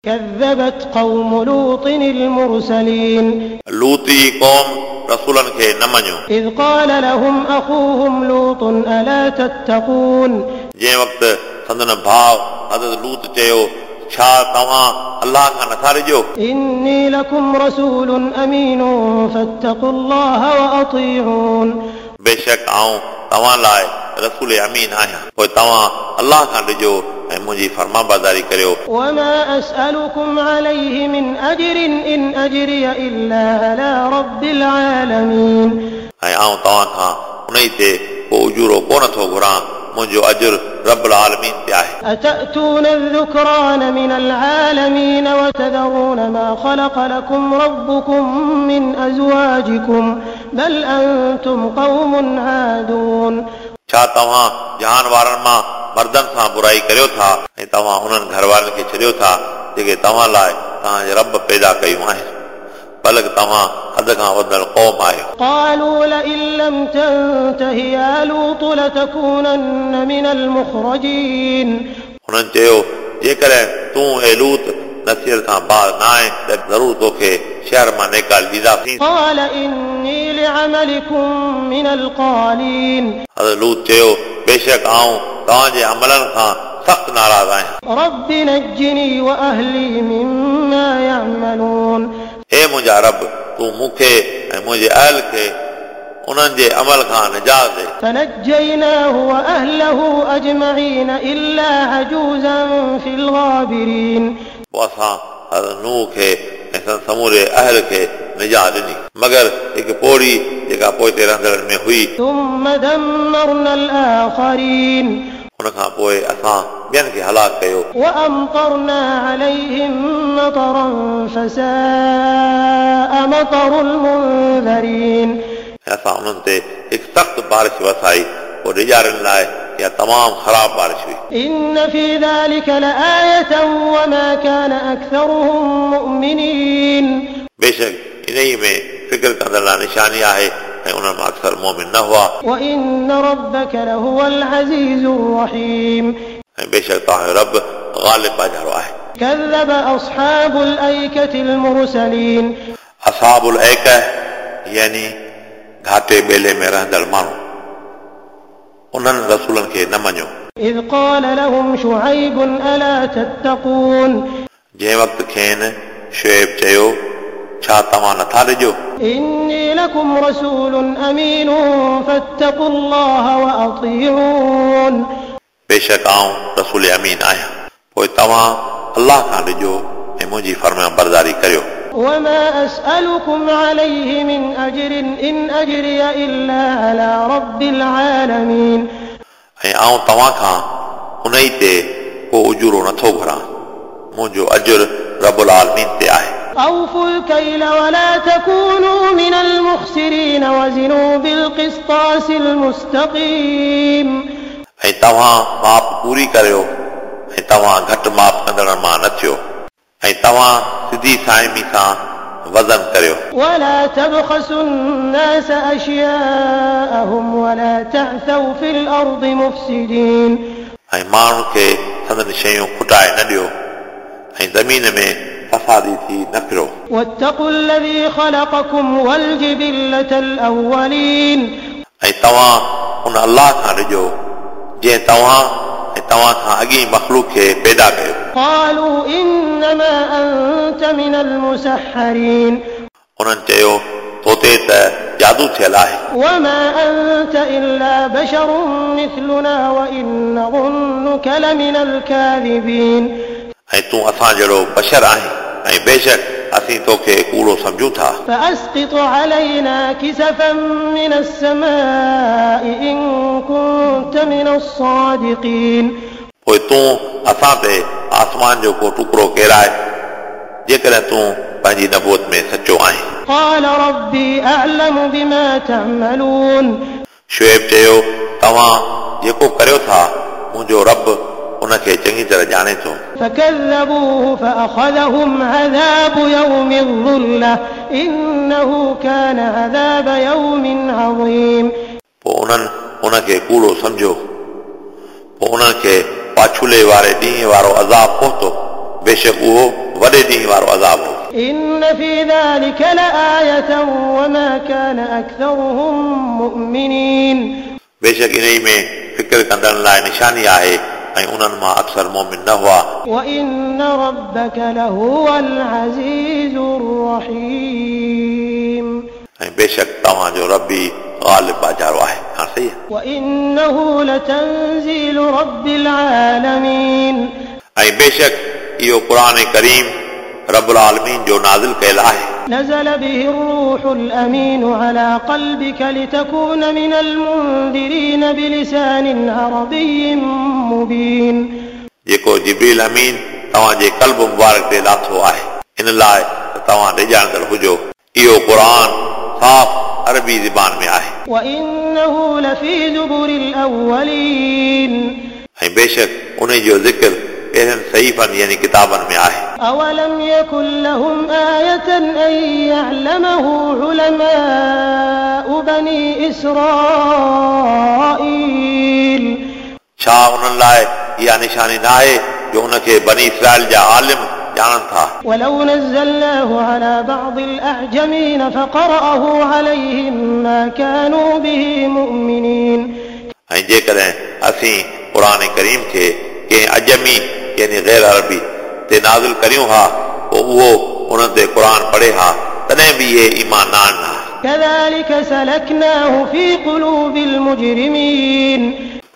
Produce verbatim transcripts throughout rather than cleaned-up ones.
كذبت قوم لوط المرسلين. लूत जी क़ौम रसूलनि खे न मञियो। إذ قال لهم أخوهم لوط ألا تتقون. जंहिं वक़्तु संदन भाउ हज़रत लूत चयो, छा तव्हां अल्लाह खां नथा डिॼो? إني لكم رسول أمين فاتقوا الله وأطيعون. बेशक आऊं तव्हां लाइ रसूल अमीन आहियां, पोइ तव्हां अल्लाह खां डिॼो ऐं मुंहिंजी फरमाबरदारी करियो। وما أسألكم عليه من أجر إن أجري إلا على رب العالمين. ऐं आऊं तव्हां खां उन ई ते को उजूरो कोन थो घुरां, मुंहिंजो अजर रब आलमीन ते आहे। أتأتون الذكران من العالمين وتذرون ما خلق لكم ربكم من أزواجكم بل أنتم قوم عادون. छा तव्हां जहान वारनि मां मर्दनि सां बुराई करियो था ऐं तव्हां उन्हनि घर वारनि खे छॾियो था जेके तव्हां लाइ तव्हांजे रब पैदा कयूं आहिनि, बल्कि तव्हां हद खां वधंदड़ क़ौम आहियो। قالوا لئن لم تنته يا لوط لتكونن من المخرجين. हुननि चयो, जेकॾहिं तूं ए लूत नसीहत खां बाज़ न आहीं त ज़रूरु तोखे शहर मां निकाल ॾींदासीं। قال إني لعملكم من القالين. हज़रत लूत चयो, बेशक आऊं तव्हांजे अमलनि खां सख़्तु नाराज़ आहियां। رب نجني وأهلي مما يعملون. हे मुंहिंजा रब, तूं मूंखे ऐं मुंहिंजे अहल खे उन्हनि जे अमल खां निजात ॾे। فنجيناه وأهله أجمعين إلا عجوزا في الغابرين. पोइ असां हज़रत नूह खे ऐं संदसि समूरे अहल खे निजात ॾिनी, मगर हिकु पोड़ी जेका पोइते रहंदड़नि में हुई। ثم دمرنا الآخرين. उन खां पोइ असां ॿियनि खे हलाक कयो। وأمطرنا عليهم مطرا فساء مطر المنذرين. ऐं असां उन्हनि ते हिकु सख़्तु बारिश वसाई, पोइ डिॼारनि लाइ इहा तमामु ख़राब बारिश हुई। إن في ذلك لآية وما كان أكثرهم مؤمنين. बेशक इन ई में फ़िक्र कंदड़ लाइ निशानी आहे ऐं उन्हनि मां अक्सर मोमिन न हुआ। وإن ربك لهو العزيز الرحيم. ऐं बेशक तव्हांजो रब ग़ालिब बाजारो आहे। كذب أصحاب الأيكة المرسلين. असहाबुल ऐका यानी घाटे ॿेले में रहंदड़ माण्हू, उन्हनि रसूलनि खे न मञियो। إذ قال لهم شعيب ألا تتقون. जंहिं वक़्तु खेनि शुएब चयो, छा तव्हां नथा डिॼो? إني لكم رسول أمين فاتقوا الله وأطيعون. बेशक आऊं रसूल अमीन आहियां, पोइ तव्हां अल्लाह खां डिॼो ऐं मुंहिंजी फरमाबरदारी करियो। وما أسألكم عليه من أجر إن أجري إلا على رب العالمين. ऐं आऊं तव्हां खां उन ई ते को उजूरो नथो घुरां, मुंहिंजो अजर रबुल आलमीन ते आहे। أوفوا الكيل ولا تكونوا من المخسرين وزنوا بالقسطاس المستقيم. ऐं तव्हां माप पूरी करियो ऐं तव्हां घटि माप कंदड़नि मां न थियो, ऐं तव्हां सिधी साइमी सां वज़न करियो। ولا تبخسوا الناس أشياءهم ولا تعثوا في الأرض مفسدين. ऐं माण्हुनि खे संदन शयूं खुटाए न ॾियो ऐं ज़मीन में फसादी थी न फिरो। واتقوا الذي خلقكم والجبلة الأولين. ऐं तव्हां उन अल्लाह खां डिॼो जंहिं तव्हां ऐं तव्हां खां अॻी मख़लूक खे पैदा कयो। قالوا إنما أنت من المسحرين. उन्हनि चयो, तो ते त जादू थियल आहे। وما أنت إلا بشر مثلنا وإن نظنك لمن الكاذبين. ऐं तूं असां जहिड़ो बशर आहीं ऐं बेशक असीं तोखे कूड़ो सम्झूं था। فأسقط علينا كسفا من السماء إن كنت من الصادقين. पोइ तूं असां ते आसमान जो को टुकड़ो केराए, जेकॾहिं तूं पंहिंजी नबूअत में सचो आहीं। قال ربي أعلم بما تعملون. शुएब चयो, तव्हां जेको करियो था मुंहिंजो रब उनखे चङी तरह ॼाणे थो। فكذبوه فأخذهم عذاب يوم الظلة إنه كان عذاب يوم عظيم. पोइ उन्हनि उनखे कूड़ो सम्झियो, पोइ उन्हनि खे पाछुले वारे ॾींहुं वारो अज़ाब पहुतो। बेशक उहो वॾे ॾींहं वारो अज़ाब हो। إن في ذلك لآية وما كان أكثرهم مؤمنين। बेशक इन्ही में फ़िक्र कंदड़नि लाइ निशानी आहे ऐं उन्हनि मां अक्सर मोमिन न हुआ। وإن ربك لهو العزيز الرحيم। ऐं बेशक तव्हांजो रबी ग़ालिब बाजारो आहे। हा सही आहे। وإنه لتنزيل رب العالمين। ऐं बेशक इहो क़ुर करीम रबुल आलमीन जो नाज़िल कयल आहे। نزل به الروح الأمين على قلبك لتكون من المنذرين بلسان عربي مبين। जेको जिब्रील अमीन तव्हांजे क़ल्ब मुबारक ते लाथो आहे इन लाइ त तव्हां ॾिजाणंदड़ हुजो। इहो क़ुर साफ़ अरबी ज़बान में आहे। وإنه لفي زبر الأولين। ऐं बेशक उन जो ज़िक्र पहिरियनि सहीफ़नि यानी किताबनि में आहे। أولم يكن لهم آية أن يعلمه علماء بني إسرائيل। छा उन्हनि लाइ इहा निशानी न आहे जो उनखे बनी इसराइल जा आलिम ॼाणनि था। ولو نزلناه على بعض الأعجمين فقرأه عليهم ما كانوا به مؤمنين। ऐं जेकॾहिं असीं क़ुर करीम खे कंहिं अजमी यानी ग़ैर अरबी ते नाज़िल करियूं हा पोइ उहो उन्हनि ते क़ुर पढ़े हा तॾहिं बि इहे ईमान न आणनि हा। كذلك سلكناه في قلوب المجرمين।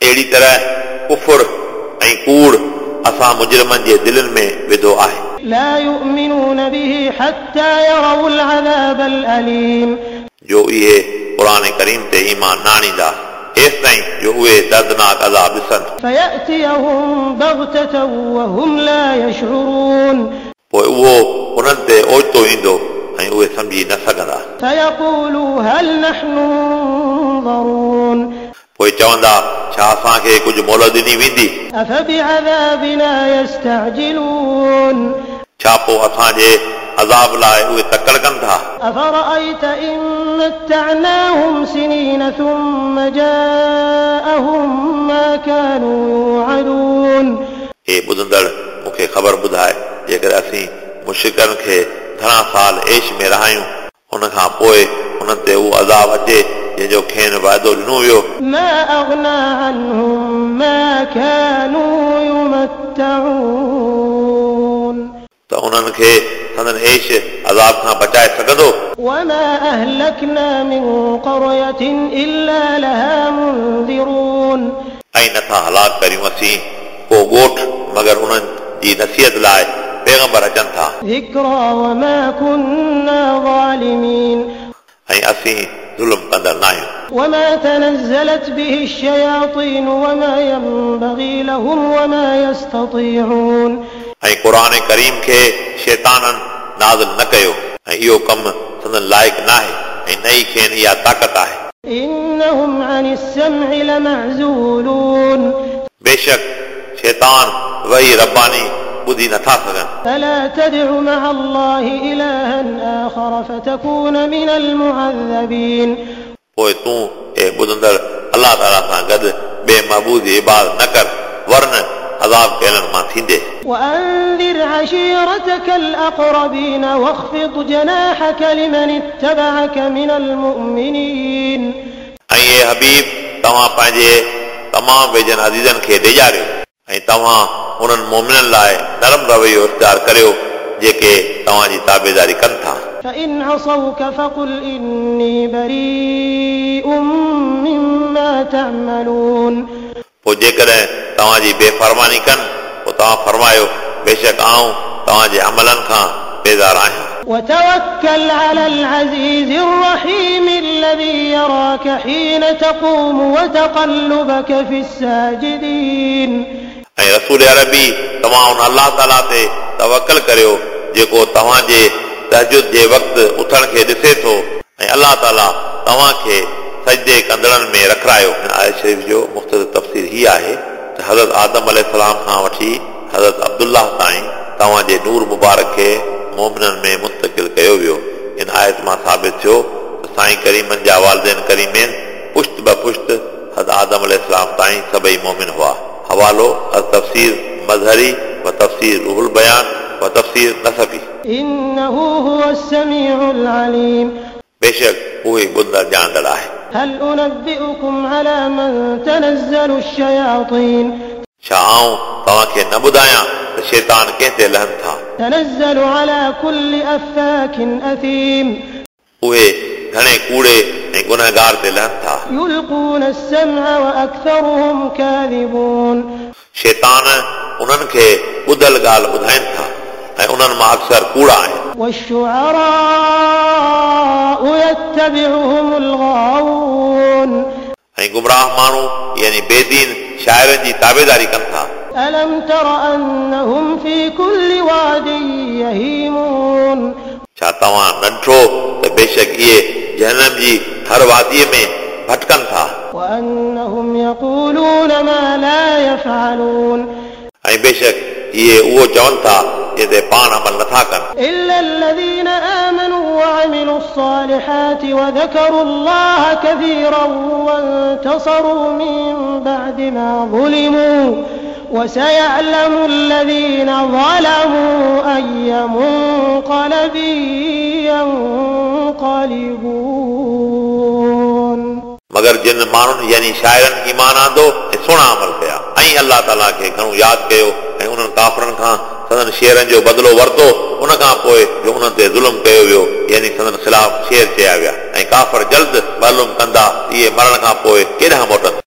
अहिड़ी तरह कुफुर ऐं कूड़ असां मुजरिमनि जे दिलनि में विधो आहे। لا يؤمنون به حتى يروا العذاب الأليم। जो इहे क़ुर करीम ते ईमान न आणींदा एसिताईं जो उहे दर्दनाक अज़ाब ॾिसनि। فيأتيهم بغتة وهم لا يشعرون। पोइ उहो उन्हनि ते ओचितो ईंदो ऐं उहे सम्झी न सघंदा। فيقولوا هل نحن منظرون। पोइ चवंदा छा असांखे कुझु मोहलत ॾिनी वेंदी? أفبعذابنا يستعجلون। छा पोइ असांजे अज़ाब लाइ उहे तकड़ कनि था? أفرأيت إن متعناهم سنين ثم جاءهم ما كانوا يوعدون। हे ॿुधंदड़ मूंखे ख़बर ॿुधाए जेकॾहिं असीं मुशिकनि खे घणा साल ऐश में रहायूं उन खां पोइ उन्हनि ते उहो अज़ाब अचे जंहिंजो खेनि वाइदो ॾिनो वियो। ما أغنى عنهم ما كانوا يمتعون। त उन्हनि खे संदन ऐश अज़ाब खां बचाए सघंदो? وما أهلكنا من قرية إلا لها منذرون। ऐं नथा हलाक करियूं असीं को ॻोठ मगर उन्हनि जी नसीहत लाइ पैगंबर अचनि था। ذكرى وما كنا ظالمين। ऐं असीं ज़ुल्म कंदड़ न आहियूं। وما تنزلت به الشياطين وما ينبغي لهم وما يستطيعون। ऐं क़ुर करीम खे शैताननि नाज़िल न कयो ऐं इहो कमु संदन लाइक़ न आहे ऐं न ई खेनि इहा ताक़त आहे। إنهم عن السمع لمعزولون। बेशक शैतान वही रब्बानी ॿुधी नथा सघनि। فلا تدع مع الله إلها آخر فتكون من المعذبين। पोइ तूं ए ॿुधंदड़ अलाह ताला सां गॾु ॿिए महबूद जी इबादत न कर वरन अज़ाब कयलनि मां थींदे। وأنذر عشيرتك الأقربين واخفض جناحك لمن اتبعك من المؤمنين। ऐं ए हबीब तव्हां पंहिंजे तमामु वेझनि अज़ीज़नि खे ॾेजारियो ऐं तव्हां उन्हनि मोमिननि लाइ नरम रवैयो इख़्तियार करियो जेके तव्हांजी ताबेदारी कनि था। فإن عصوك فقل إني بريء مما تعملون। पोइ जेकॾहिं तव्हांजी बेफ़रमानी कनि पोइ तव्हां फरमायो बेशक आउं तव्हांजे अमलनि खां बेज़ार आहियां। وتوكل على العزيز الرحيم الذي يراك حين تقوم وتقلبك في الساجدين। ऐं रसूल अरबी तव्हां उन अलाह ताला ते तवकल करियो जेको तव्हांजे तहजुद जे वक़्तु उथण खे ॾिसे थो ऐं अलाह ताला तव्हांखे सजदे कंदड़नि में रखारायो। आयत शरीफ़ जो मुख़्तसर तफ़सीर हीअ आहे त हज़रत आदम अलैहिस्सलाम खां वठी हज़रत अब्दुल्लाह ताईं तव्हांजे नूर मुबारक खे मोमिननि में मुंतकिल कयो वियो। इन आयत मां साबित थियो त साईं करीमनि जा वालिदैन करीमैन पुश्त ब पुश्त हज़रत आदम अलैहिस्सलाम ताईं सभई मोमिन हुआ। हवालो तफ़सीर मज़हरी وتفسير روح البيان وتفسير نسفي. إنه هو السميع العليم. बेशक उहो ई ॿुधंदड़ ॼाणंदड़ आहे। هل أنبئكم على من تنزل الشياطين؟ छा आउं तव्हांखे न ॿुधायां त शैतान कंहिं ते लहनि था? تنزل على كل أفاك أثيم. उहे घणे कूड़े ऐं गुनहगार ते लहनि था। يلقون السمع وأكثرهم كاذبون. शैतान उन्हनि खे ॿुधल ॻाल्हि ॿुधाइनि था ऐं उन्हनि मां अक्सर कूड़ा आहिनि। والشعراء يتبعهم الغاوون. ऐं गुमराह माण्हू यानी बेदीन शाइरनि जी ताबेदारी कनि था। ألم تر أنهم في كل واد يهيمون؟ छा तव्हां न ॾिठो त बेशक इहे जहनम जी हर वादीअ में भटकनि था। وأنهم يقولون ما لا يفعلون. ऐं बेशक इहे उहो चवनि था जंहिं ते पाण अमल नथा कनि। إلا الذين آمنوا وعملوا الصالحات وذكروا الله كثيرا وانتصروا من بعد ما ظلموا وسيعلم الذين ظلموا أي منقلب ينقلبون. मगर जिन माण्हुनि यानी शाइरनि ईमान आंदो ऐं सुहिणा अमल कया ऐं अलाह ताला खे घणो यादि कयो ऐं उन्हनि काफ़रनि खां संदन शेरनि जो बदिलो वरितो उन खां पोइ जो उन्हनि ते ज़ुल्म कयो वियो यानी संदन ख़िलाफ़ शेर चया विया ऐं काफ़र जल्द मालूम कंदा इहे मरण खां पोइ केॾांहुं मोटंदा।